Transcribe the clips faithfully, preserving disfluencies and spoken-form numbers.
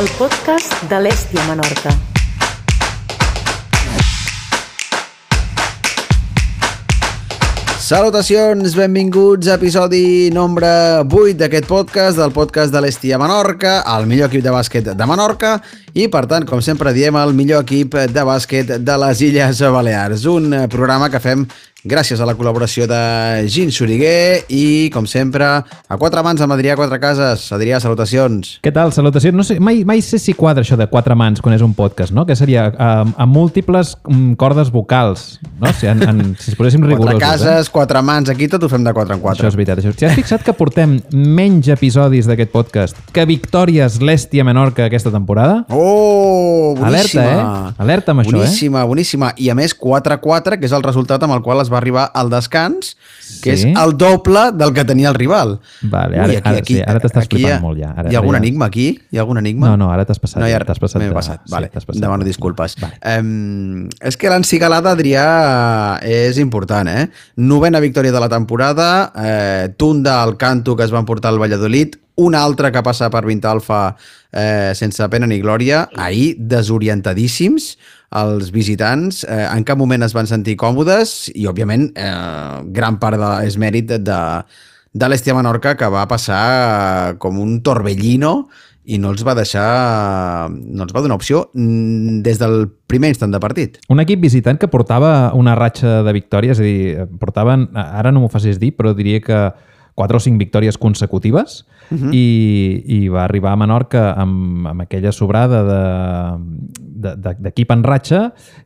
el podcast de l'Hèstia Menorca. Salutacions, benvinguts a episodi nombre vuit d'aquest podcast, del podcast de l'Hèstia Menorca, el millor equip de bàsquet de Menorca i, per tant, com sempre diem, el millor equip de bàsquet de les Illes Balears. Un programa que fem gràcies a la col·laboració de Gin Soriguer i, com sempre, a quatre mans amb Adrià Quatre Cases. Adrià, salutacions. Què tal? Salutacions. No sé, mai, mai sé si quadra això de quatre mans quan és un podcast, no? Que seria um, amb múltiples um, cordes vocals, no? Si, en, en, si es poséssim rigorosos. Quatre cases, eh? quatre mans, aquí tot ho fem de quatre en quatre. Això és veritat. Això. Si has fixat que portem menys episodis d'aquest podcast que victòries l'Hèstia Menorca aquesta temporada? Oh, boníssima. Alerta, eh? Alerta amb boníssima, això, eh? Boníssima, boníssima. I a més, quatre quatre, que és el resultat amb el qual es va arribar al descans, que sí? és el doble del que tenia el rival. Vale, ara, Ui, aquí, ara, aquí, sí, ara t'estàs flipant ha, molt ja. Ara, hi ha algun ja... enigma aquí? Hi ha algun enigma? No, no, ara t'has passat. No, ja, t'has passat. M'he passat, sí, vale. passat. Demano disculpes. Vale. Um, és que l'encigalada, Adrià, és important, eh? Novena victòria de la temporada, eh, tunda al canto que es van portar al Valladolid, una altra que passa per Vintalfa eh, sense pena ni glòria, ahir desorientadíssims els visitants, eh, en cap moment es van sentir còmodes i, òbviament, eh, gran part de, és mèrit de, de l'Hèstia Menorca, que va passar com un torbellino i no els va deixar, no els va donar opció des del primer instant de partit. Un equip visitant que portava una ratxa de victòries, és a dir, portaven, ara no m'ho facis dir, però diria que quatre o cinc victòries consecutives, uh-huh. i, i va arribar a Menorca amb, amb aquella sobrada d'equip de, de, en ratxa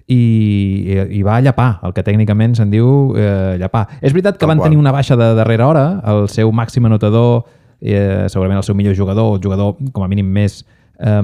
i, i, i va llapar, el que tècnicament se'n diu eh, llapar. És veritat que Tal van qual. tenir una baixa de darrera hora, el seu màxim anotador, eh, segurament el seu millor jugador, el jugador com a mínim més, eh,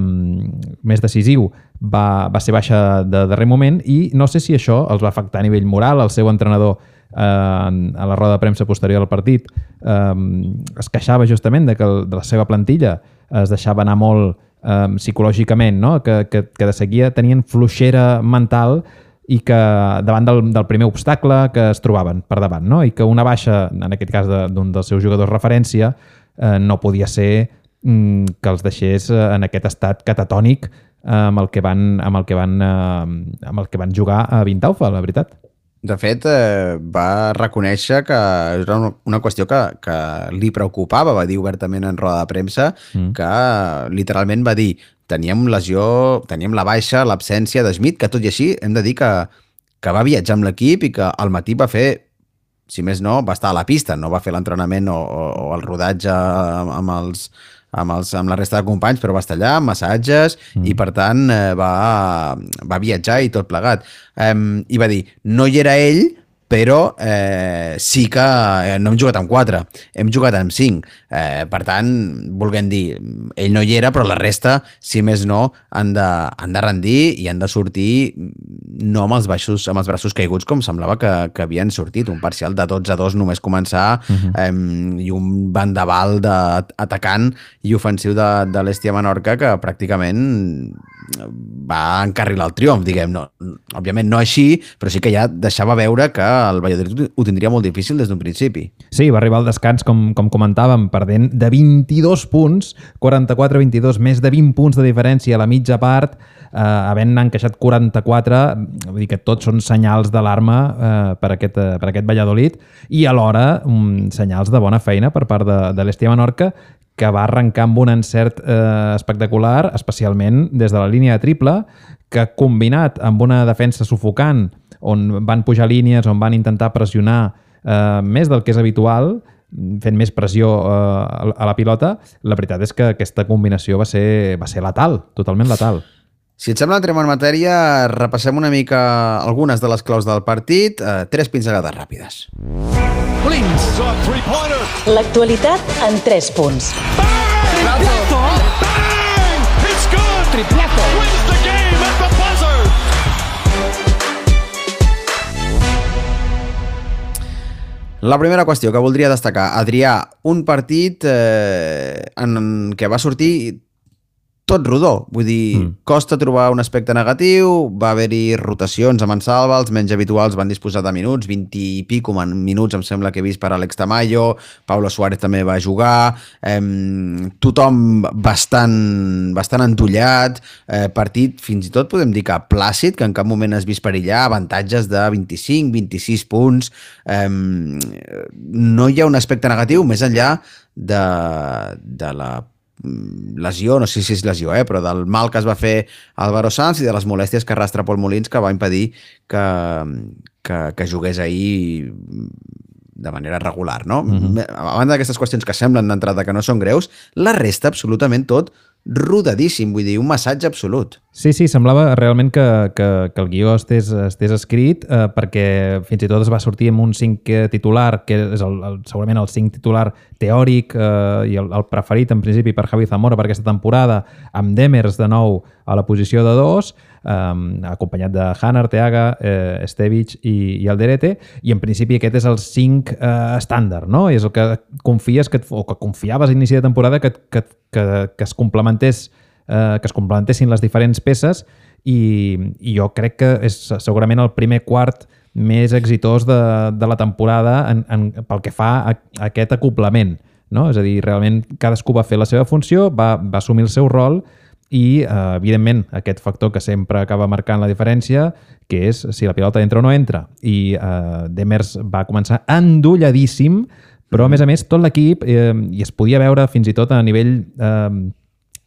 més decisiu, va, va ser baixa de darrer moment i no sé si això els va afectar a nivell moral. El seu entrenador Uh, a la roda de premsa posterior al partit um, es queixava justament de que el, de la seva plantilla es deixava anar molt um, psicològicament, no? que, que, que de seguida tenien fluixera mental i que davant del, del primer obstacle que es trobaven per davant, no? I que una baixa, en aquest cas d'un de, dels seus jugadors referència, uh, no podia ser um, que els deixés uh, en aquest estat catatònic uh, amb el que van, amb el que van, uh, amb el que van jugar a Vintalfa, la veritat. De fet, eh, va reconèixer que era una qüestió que, que li preocupava, va dir obertament en roda de premsa, mm. que literalment va dir teníem lesió, teníem la baixa, l'absència de Schmidt, que tot i així hem de dir que, que va viatjar amb l'equip i que al matí va fer, si més no, va estar a la pista, no va fer l'entrenament o, o, o el rodatge amb els... Amb, els, amb la resta de companys, però va estar allà, amb massatges, mm. i per tant eh, va, va viatjar i tot plegat. Eh, I va dir, no hi era ell, però eh, sí que eh, no hem jugat amb quatre, hem jugat amb cinc. Eh, per tant, volguem dir, ell no hi era, però la resta, si més no, han de, han de rendir i han de sortir no amb els, baixos, amb els braços caiguts com semblava que, que havien sortit. Un parcial de dotze a dos només començar, uh-huh. eh, i un vendaval d'atacant i ofensiu de, de l'Hèstia Menorca que pràcticament va encarrilar el triomf, diguem. No, òbviament no així, però sí que ja deixava veure que el Valladolid ho tindria molt difícil des d'un principi. Sí, va arribar al descans, com, com comentàvem, perdent de vint-i-dos punts, quaranta-quatre a vint-i-dos, més de vint punts de diferència a la mitja part, eh, havent encaixat quaranta-quatre, vull dir que tots són senyals d'alarma eh, per, aquest, eh, per aquest Valladolid, i alhora um, senyals de bona feina per part de, de l'Hèstia Menorca, que va arrencar amb un encert eh, espectacular, especialment des de la línia de triple, que combinat amb una defensa sufocant, on van pujar línies, on van intentar pressionar eh, més del que és habitual, fent més pressió eh, a la pilota, la veritat és que aquesta combinació va ser, va ser letal, totalment letal. Si et sembla, entrem en matèria, repassem una mica algunes de les claus del partit, eh, tres pinzellades ràpides. L'actualitat en tres punts. Triplazo! Bang! It's good! Triplazo! Wins the game at the buzzer! La primera qüestió que voldria destacar, Adrià, un partit eh, en què va sortir tot rodó. Vull dir, mm. costa trobar un aspecte negatiu, va haver-hi rotacions amb en Salva, els menys habituals van disposar de minuts, vint i pico minuts em sembla que he vist per Alex Tamayo, Pablo Suárez també va jugar, eh, tothom bastant, bastant endollat, eh, partit fins i tot podem dir que plàcid, que en cap moment has vist perillar, avantatges de vint-i-cinc, vint-i-sis punts, eh, no hi ha un aspecte negatiu més enllà de, de la lesió, no sé si és lesió, eh, però del mal que es va fer Álvaro Sanz i de les molèsties que arrastra Pol Molins, que va impedir que, que, que jugués ahir de manera regular, no? Mm-hmm. A banda d'aquestes qüestions que semblen d'entrada que no són greus, la resta absolutament tot rodadíssim, vull dir, un massatge absolut. Sí, sí, semblava realment que, que, que el guió estés, estés escrit eh, perquè fins i tot es va sortir amb un cinc titular, que és el, el, segurament el cinc titular teòric eh, i el, el preferit en principi per Javi Zamora per aquesta temporada, amb Demers de nou a la posició de dos, eh, acompanyat de Han, Arteaga, eh, Estevic i, i Alderete, i en principi aquest és el cinc eh, estàndard, no? És el que confies que, o que confiaves a inici de temporada que, que, que, que es complementés eh, que es complementessin les diferents peces i, i jo crec que és segurament el primer quart més exitós de, de la temporada en, en, pel que fa a, a aquest acoplament, no? És a dir, realment cadascú va fer la seva funció, va, va assumir el seu rol i, eh, evidentment, aquest factor que sempre acaba marcant la diferència, que és si la pilota entra o no entra. I eh, Demers va començar endolladíssim, però, a més a més, tot l'equip, eh, i es podia veure fins i tot a nivell eh,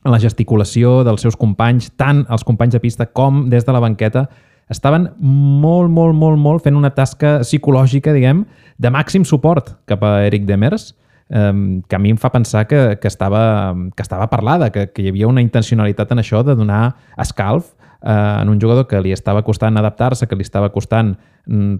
en la gesticulació dels seus companys, tant els companys de pista com des de la banqueta, estaven molt, molt, molt, molt fent una tasca psicològica, diguem, de màxim suport cap a Eric Demers, eh, que a mi em fa pensar que, que, estava, que estava parlada, que, que hi havia una intencionalitat en això de donar escalf eh, en un jugador que li estava costant adaptar-se, que li estava costant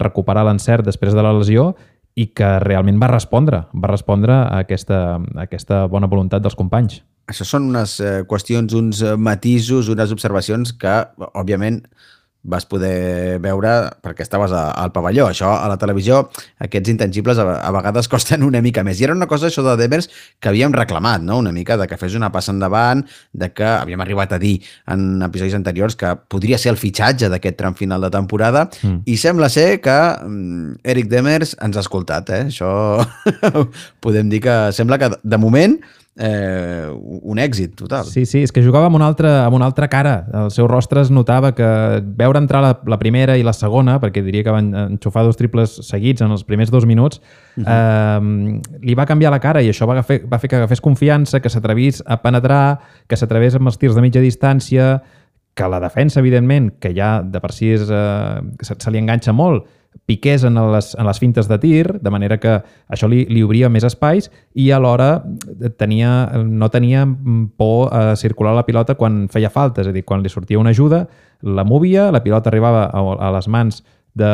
recuperar l'encert després de la lesió i que realment va respondre, va respondre a aquesta, a aquesta bona voluntat dels companys. Això són unes eh, qüestions, uns matisos, unes observacions que, òbviament, vas poder veure perquè estaves a, al pavelló. Això, a la televisió, aquests intangibles a, a vegades costen una mica més. I era una cosa, això de Demers, que havíem reclamat, no? Una mica de que fes una passa endavant, de que havíem arribat a dir en episodis anteriors que podria ser el fitxatge d'aquest tram final de temporada, mm. i sembla ser que um, Eric Demers ens ha escoltat, eh? Això podem dir que sembla que, de moment, Eh, un èxit total. Sí, sí, és que jugava amb una altra, amb una altra cara. El seu rostre es notava que veure entrar la, la primera i la segona, perquè diria que van enxufar dos triples seguits en els primers dos minuts, uh-huh. eh, li va canviar la cara i això va fer, va fer que agafés confiança, que s'atrevís a penetrar, que s'atrevés amb els tirs de mitja distància, que la defensa, evidentment, que ja de per si és, eh, se, se li enganxa molt, piqués en les, en les fintes de tir, de manera que això li, li obria més espais i alhora tenia, no tenia por a circular la pilota quan feia falta, és a dir, quan li sortia una ajuda, la movia, la pilota arribava a, a les mans de,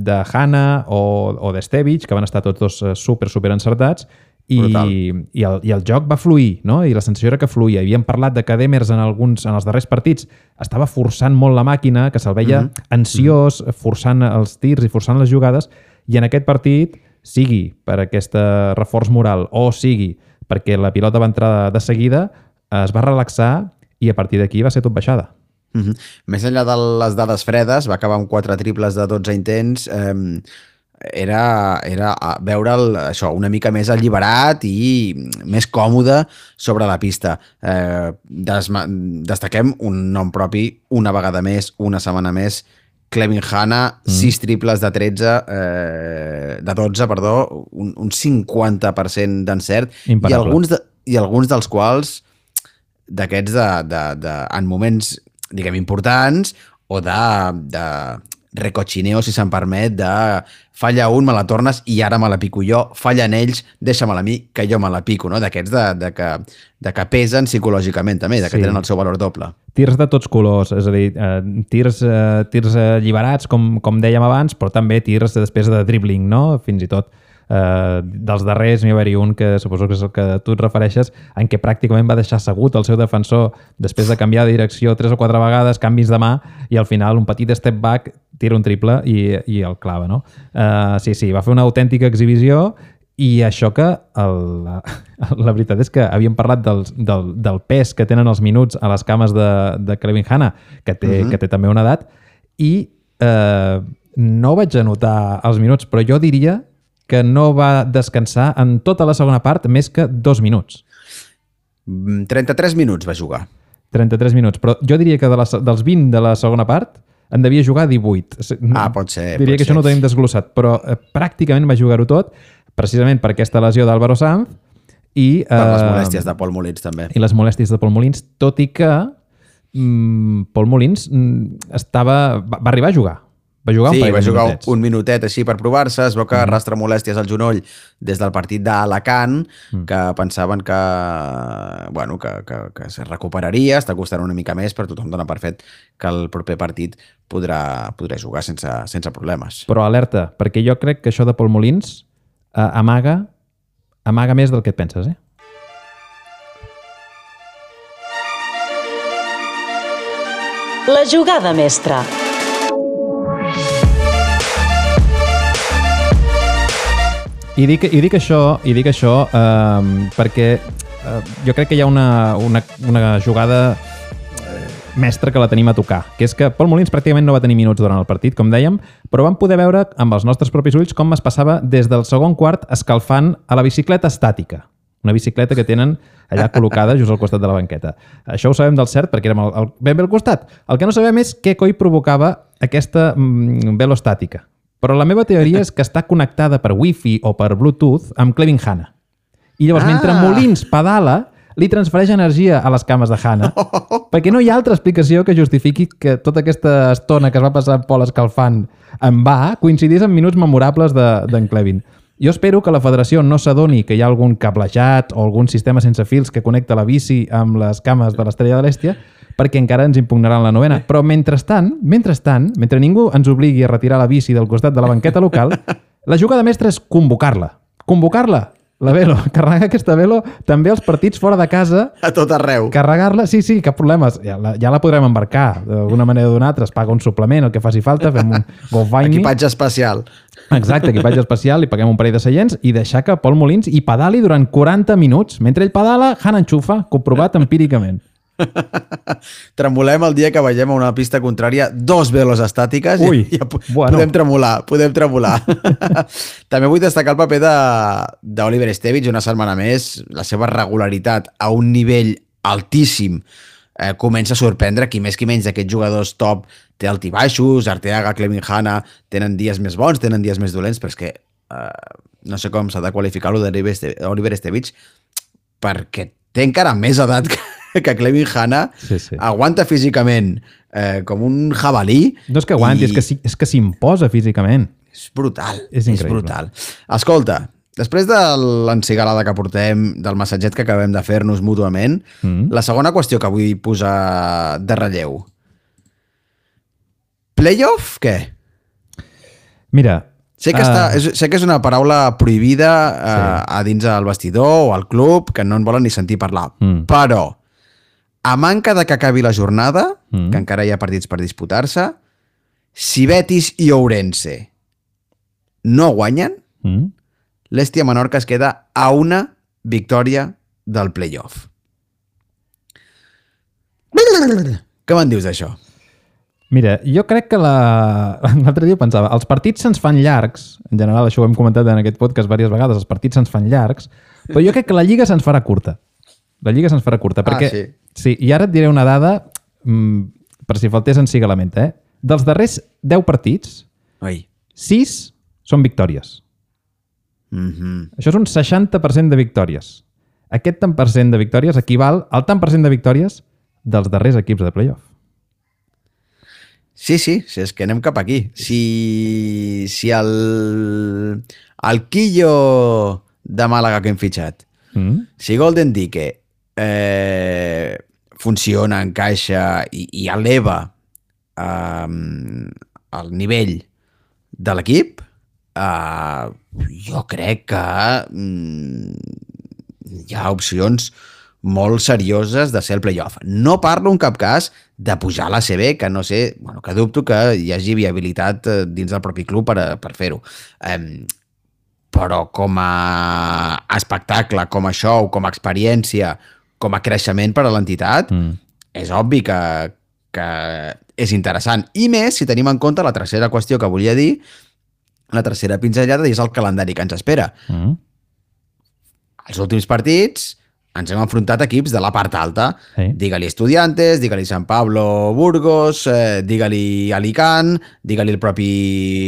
de Hanna o, o d'Estevic, que van estar tots dos super, super encertats, i, i, el, i el joc va fluir, no? I la sensació era que fluïa. Havíem parlat de que Demers en, alguns, en els darrers partits estava forçant molt la màquina, que se'l veia mm-hmm. ansiós, forçant els tirs i forçant les jugades, i en aquest partit, sigui per aquest reforç moral o sigui perquè la pilota va entrar de seguida, es va relaxar i a partir d'aquí va ser tot baixada. Mm-hmm. Més enllà de les dades fredes, va acabar amb quatre triples de dotze intents, eh, era, era veure el, això una mica més alliberat i més còmode sobre la pista. Eh, des, destaquem un nom propi una vegada més, una setmana més, Clevin Hanna, mm. sis triples de tretze, eh, de dotze, perdó, un, un cinquanta per cent d'encert, i alguns, de, i alguns dels quals d'aquests de, de, de, en moments, diguem, importants o de, de recochineo, si se'n permet, de falla un, me la tornes i ara me la pico jo, fallen ells, deixa-me-la a mi, que jo me la pico, no? D'aquests de, de, que, de que pesen psicològicament també, de que sí. Tenen el seu valor doble. Tirs de tots colors, és a dir, eh, tirs, eh, tirs alliberats, com, com dèiem abans, però també tirs després de dribbling, no? Fins i tot eh, dels darrers n'hi va haver un que suposo que és el que tu et refereixes, en què pràcticament va deixar assegut el seu defensor després de canviar de direcció tres o quatre vegades, canvis de mà, i al final un petit step back, tira un triple i, i el clava, no? Uh, sí, sí, va fer una autèntica exhibició I això que el, la, la veritat és que havíem parlat del, del, del pes que tenen els minuts a les cames de, de Kevin Hanna, que té, uh-huh. que té també una edat, i eh, no vaig anotar els minuts, però jo diria que no va descansar en tota la segona part més que dos minuts. trenta-tres minuts va jugar. trenta-tres minuts, però jo diria que de la, dels vint de la segona part en devia jugar divuit. Ah, pot ser. Diria pot que ser. això no ho tenim desglossat, però eh, pràcticament va jugar-ho tot, precisament per aquesta lesió d'Álvaro Sanz i... Per les eh, molèsties de Pol Molins, també. I les molèsties de Pol Molins, tot i que mm, Pol Molins mm, estava, va, va arribar a jugar. Va jugar sí, un va de jugar minutets. un minutet així per provar-se, es veu que Mm. arrastra molèsties al genoll des del partit d'Alacant, Mm. que pensaven que, bueno, que, que, que se recuperaria, està costant una mica més, però tothom dona per fet que el proper partit podrà, podrà jugar sense, sense problemes. Però alerta, perquè jo crec que això de Pol Molins eh, amaga, amaga més del que et penses, eh? La jugada mestra. I dic, i dic això, i dic això eh, perquè eh, jo crec que hi ha una, una, una jugada eh, mestra que la tenim a tocar, que és que Pol Molins pràcticament no va tenir minuts durant el partit, com dèiem, però vam poder veure amb els nostres propis ulls com es passava des del segon quart escalfant a la bicicleta estàtica, una bicicleta que tenen allà col·locada just al costat de la banqueta. Això ho sabem del cert perquè érem al, al, ben bé al costat. El que no sabem és què coi provocava aquesta mm, velostàtica. Però la meva teoria és que està connectada per Wi-Fi o per Bluetooth amb Kevin Hanna. I llavors, ah. mentre Molins pedala, li transfereix energia a les cames de Hanna, perquè no hi ha altra explicació que justifiqui que tota aquesta estona que es va passar Pol escalfant en va coincidís en minuts memorables d'en de, Kevin. Jo espero que la federació no s'adoni que hi ha algun cablejat o algun sistema sense fils que connecta la bici amb les cames de l'Estrella de l'Èstia, perquè encara ens impugnaran la novena. Però mentrestant, mentrestant, mentre ningú ens obligui a retirar la bici del costat de la banqueta local, la jugada mestra és convocar-la. Convocar-la, la velo. Carregar aquesta velo també als partits fora de casa. A tot arreu. Carregar-la, sí, sí, cap problema. Ja la, ja la podrem embarcar. D'alguna manera o d'una altra, es paga un suplement, el que faci falta, fem un GoFundMe. Equipatge especial. Exacte, equipatge especial, li paguem un parell de seients i deixar que Pol Molins hi pedali durant quaranta minuts. Mentre ell pedala, Han enxufa, comprovat empíricament. Tremolem el dia que vegem a una pista contrària dos velos estàtiques. Ui, i ja bueno. podem tremolar, podem tremolar. També vull destacar el paper d'Oliver Estevich una setmana més, la seva regularitat a un nivell altíssim. Eh, comença a sorprendre qui més qui menys d'aquests jugadors top té altibaixos, Arteaga, Kevin Hanna tenen dies més bons, tenen dies més dolents, però és que eh, no sé com s'ha de qualificar-lo d'Oliver Estevich perquè té encara més edat que que Kevin Hanna sí, sí. aguanta físicament eh, com un jabalí. No és que aguanti, i... és que s'imposa físicament. És brutal, és, és brutal. Escolta, després de l'encigalada que portem, del massatget que acabem de fer-nos mútuament, mm. la segona qüestió que vull posar de relleu. Playoff, què? Mira... Sé que, uh... està, és, sé que és una paraula prohibida uh, sí. a dins del vestidor o al club, que no en volen ni sentir parlar, mm. però a manca de que acabi la jornada, mm. que encara hi ha partits per disputar-se, si Betis i Ourense no guanyen, mm. l'Hèstia Menorca es queda a una victòria del playoff. Què me'n dius d'això? Mira, jo crec que la... l'altre dia pensava, els partits se'ns fan llargs, en general això ho hem comentat en aquest podcast diverses vegades, els partits se'ns fan llargs, però jo crec que la Lliga se'ns farà curta. La Lliga se'ns farà curta, perquè... Ah, sí. Sí, i ara et diré una dada, mmm, per si faltés encigalament, eh? Dels darrers deu partits, Oi. sis són victòries. Mm-hmm. Això és un seixanta per cent de victòries. Aquest tant per cent de victòries equival al tant per cent de victòries dels darrers equips de playoff. Sí, sí, si és que anem cap aquí. Si, si el, el Quillo de Màlaga que hem fitxat, mm. si Golden Dike eh, funciona, encaixa i, i eleva eh, el nivell de l'equip, eh, jo crec que mm, hi ha opcions molt serioses de ser el playoff. No parlo en cap cas de pujar a l'A C B, que no sé, bueno, que dubto que hi hagi viabilitat dins del propi club per, per fer-ho. Um, però com a espectacle, com a show, com a experiència, com a creixement per a l'entitat, mm. és obvi que, que és interessant. I més si tenim en compte la tercera qüestió que volia dir, la tercera pinzellada, és el calendari que ens espera. Mm. Els últims partits ens hem enfrontat equips de la part alta. Sí. Digue-li Estudiantes, digue-li San Pablo Burgos, eh, digue-li Alicant, digue-li el propi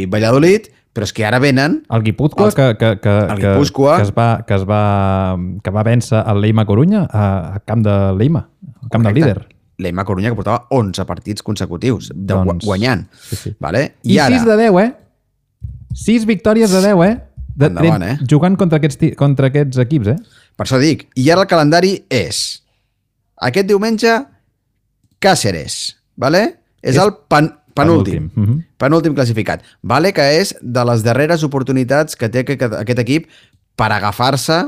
Valladolid, però és que ara venen... El Guipúzcoa, els... que, que, que, el Guipúzcoa, que, es va, que, es va, que va vèncer el Leima Corunya a, a camp de Leima, al camp del líder. Leima Corunya, que portava onze partits consecutius de doncs... guanyant. Sí, sí. Vale? I, I ara... sis de deu, eh? sis victòries de deu, eh? De, Endavant, eh? Jugant contra aquests, contra aquests equips, eh? Per això dic. I ara el calendari és aquest diumenge Càceres, vale? És, és el pan, penúltim. Penúltim. Uh-huh. Penúltim classificat. Vale que és de les darreres oportunitats que té aquest, aquest equip per agafar-se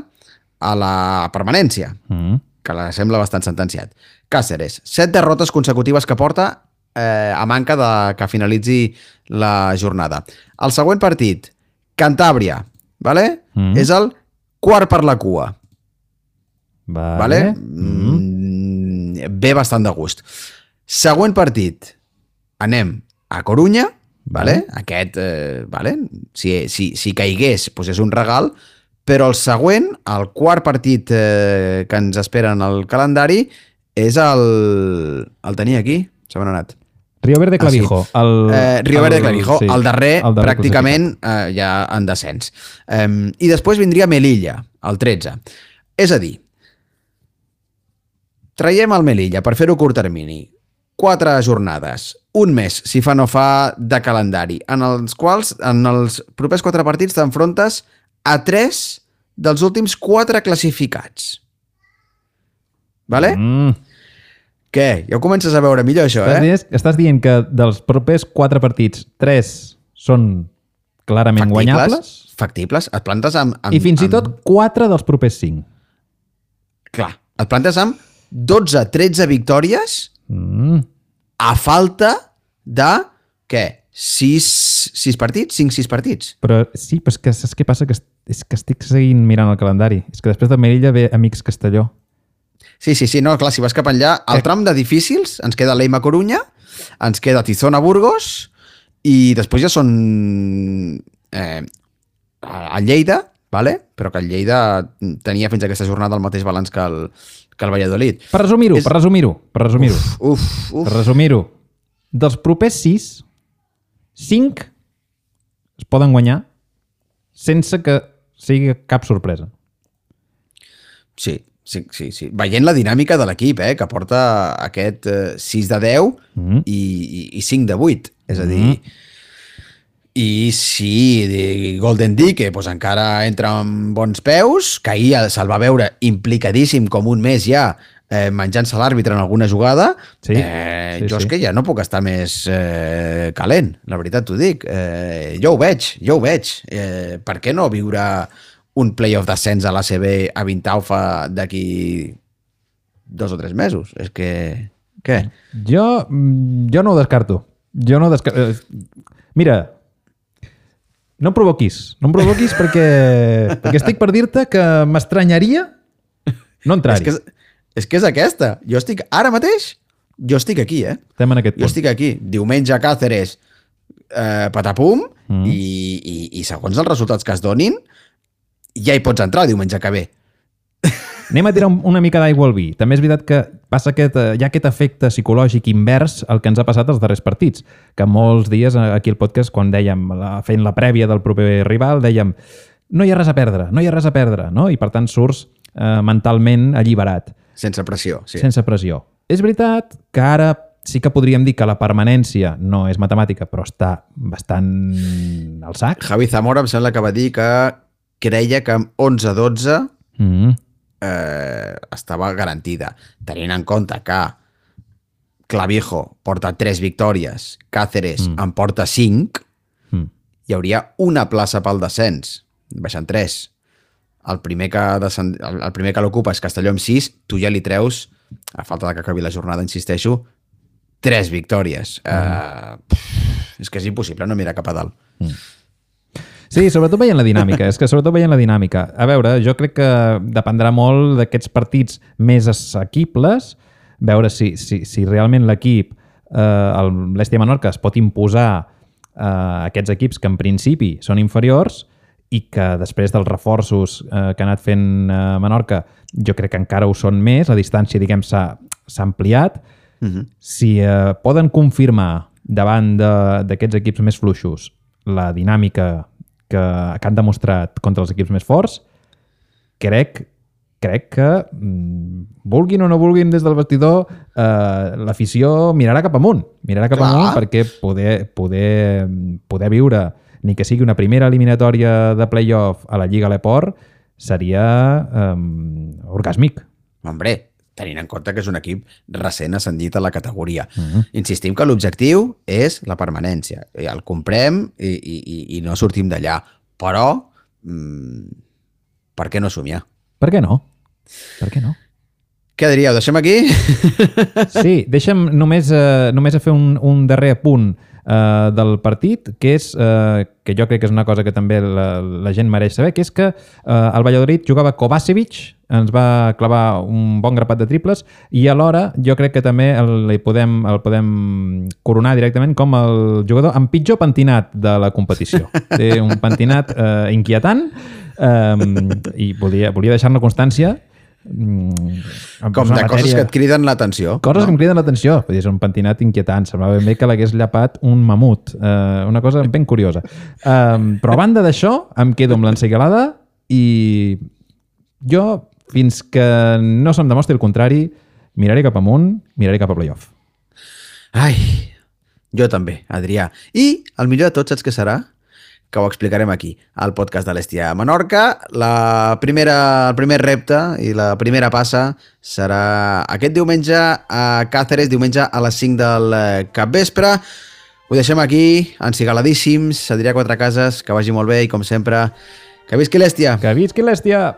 a la permanència, uh-huh. que la sembla bastant sentenciat. Càceres, set derrotes consecutives que porta eh, a manca de que finalitzi la jornada. El següent partit, Cantàbria, vale? Uh-huh. És el quart per la cua. Vale. Vale? Mm-hmm. Ve bastant de gust. Següent partit, anem a Corunya, vale? Aquest, eh, vale? Si, si, si caigués, doncs és un regal, però el següent, el quart partit eh, que ens espera en el calendari, és el... El tenia aquí, se m'ha anat. Río Verde Clavijo. Ah, sí. el, eh, Río Verde Clavijo, sí, el darrer, el darrer pràcticament eh, ja en descens. Eh, I després vindria Melilla, el tretze. És a dir, traiem el Melilla per fer-ho curt termini. Quatre jornades, un mes, si fa no fa, de calendari, en els quals, en els propers quatre partits, t'enfrontes a tres dels últims quatre classificats. Vale? Mm. Què? Ja ho comences a veure millor, això, estàs eh? Dient, estàs dient que dels propers quatre partits, tres són clarament factibles, guanyables? Factibles. Et plantes amb... amb I fins amb... i tot quatre dels propers cinc. Clar. Et plantes amb dotze tretze victòries mm. a falta de, què? sis partits? cinc sis partits? Però sí, però és que saps què passa? Que és que estic seguint mirant el calendari. És que després de Melilla ve Amics Castelló. Sí, sí, sí, no, clar, si vas cap enllà, al tram de difícils ens queda Leima Corunya, ens queda Tizona Burgos i després ja són eh, a Lleida, vale? Però que el Lleida tenia fins a aquesta jornada el mateix balanç que el, que el Valladolid. Per resumir-ho, és... per resumir-ho, per resumir-ho. Uf, uf, uf. Per resumir-ho, dels propers sis, cinc es poden guanyar sense que sigui cap sorpresa. Sí. Sí, sí, sí. Veient la dinàmica de l'equip, eh, que porta aquest eh, sis de deu mm. i, i, i cinc de vuit. És a dir, mm. i sí, Golden Dike pues, encara entra amb bons peus, que ahir se'l va veure implicadíssim com un mes ja eh, menjant-se l'àrbitre en alguna jugada. Sí, eh, sí, jo és sí. que ja no puc estar més eh, calent, la veritat t'ho dic. Eh, jo ho veig, jo ho veig. Eh, per què no viure un playoff d'ascens a l'A C B a Vintaufa d'aquí dos o tres mesos? És que... Què? Jo, jo no ho descarto. Jo no ho descarto. Mira, no em provoquis. No em provoquis perquè, perquè estic per dir-te que m'estranyaria no entrar-hi. És que és, és que és aquesta. Jo estic... Ara mateix, jo estic aquí, eh? Estem en aquest punt. Jo estic aquí. Diumenge a Càceres, eh, patapum, mm. i, i, i segons els resultats que es donin, ja hi pots entrar diumenge que ve. Anem a tirar una mica d'aigua al vi. També és veritat que passa aquest, hi ha aquest efecte psicològic invers al que ens ha passat els darrers partits, que molts dies aquí al podcast, quan dèiem, fent la prèvia del proper rival, dèiem no hi ha res a perdre, no hi ha res a perdre, no? I per tant surts eh, mentalment alliberat. Sense pressió, sí. Sense pressió. És veritat que ara sí que podríem dir que la permanència no és matemàtica, però està bastant al sac. Javi Zamora em sembla que va dir que creia que amb onze dotze mm. eh, estava garantida. Tenint en compte que Clavijo porta tres victòries, Càceres mm. en porta cinc, mm. hi hauria una plaça pel descens, baixant tres. El primer que, descend... el primer que l'ocupa és Castelló amb sis, tu ja li treus, a falta de que acabi la jornada, insisteixo, tres victòries. Mm. Eh, pff, és que és impossible no mirar cap a dalt. Mm. Sí, sobretot veient la dinàmica. És que sobretot veient la dinàmica. A veure, jo crec que dependrà molt d'aquests partits més assequibles, veure si, si, si realment l'equip, eh, l'Hèstia Menorca, es pot imposar eh, aquests equips que en principi són inferiors i que després dels reforços eh, que ha anat fent eh, Menorca, jo crec que encara ho són més, la distància, diguem, s'ha ampliat. Uh-huh. Si eh, poden confirmar davant d'aquests equips més fluixos la dinàmica que, que han demostrat contra els equips més forts, crec, crec que, vulguin o no vulguin des del vestidor, eh, l'afició mirarà cap amunt. Mirarà cap Clar. amunt perquè poder, poder, poder viure ni que sigui una primera eliminatòria de play-off a la Lliga Leport seria eh, orgàsmic. Hombre, tenint en compte que és un equip recent ascendit a la categoria. Uh-huh. Insistim que l'objectiu és la permanència. El comprem i, i, i no sortim d'allà. Però, mmm, per què no somiar? Per què no? Per què no? Què diríeu? Deixem aquí? Sí, deixem només, eh, només a fer un, un darrer apunt eh, del partit, que és, eh, que jo crec que és una cosa que també la, la gent mereix saber, que és que eh, el Valladolid jugava Kovacevic, ens va clavar un bon grapat de triples i alhora jo crec que també el, podem, el podem coronar directament com el jugador amb pitjor pentinat de la competició. Té un pentinat eh, inquietant eh, i volia, volia deixar-ne constància. Com de coses que et criden l'atenció. Coses no? que em criden l'atenció. És un pentinat inquietant. Semblava ben bé que l'hagués llapat un mamut. Eh, una cosa ben curiosa. Eh, però a banda d'això, em quedo amb l'ensegalada i jo, fins que no se'm demostri el contrari, miraré cap amunt, miraré cap a playoff. Ai, jo també, Adrià. I el millor de tot, saps què serà? Que ho explicarem aquí, al podcast de l'Hèstia Menorca. La primera, el primer repte i la primera passa serà aquest diumenge a Càceres, diumenge a les cinc del capvespre. Ho deixem aquí, encigaladíssims. Adrià Quatrecases, que vagi molt bé i, com sempre, que visqui l'Hèstia! Que visqui l'Hèstia!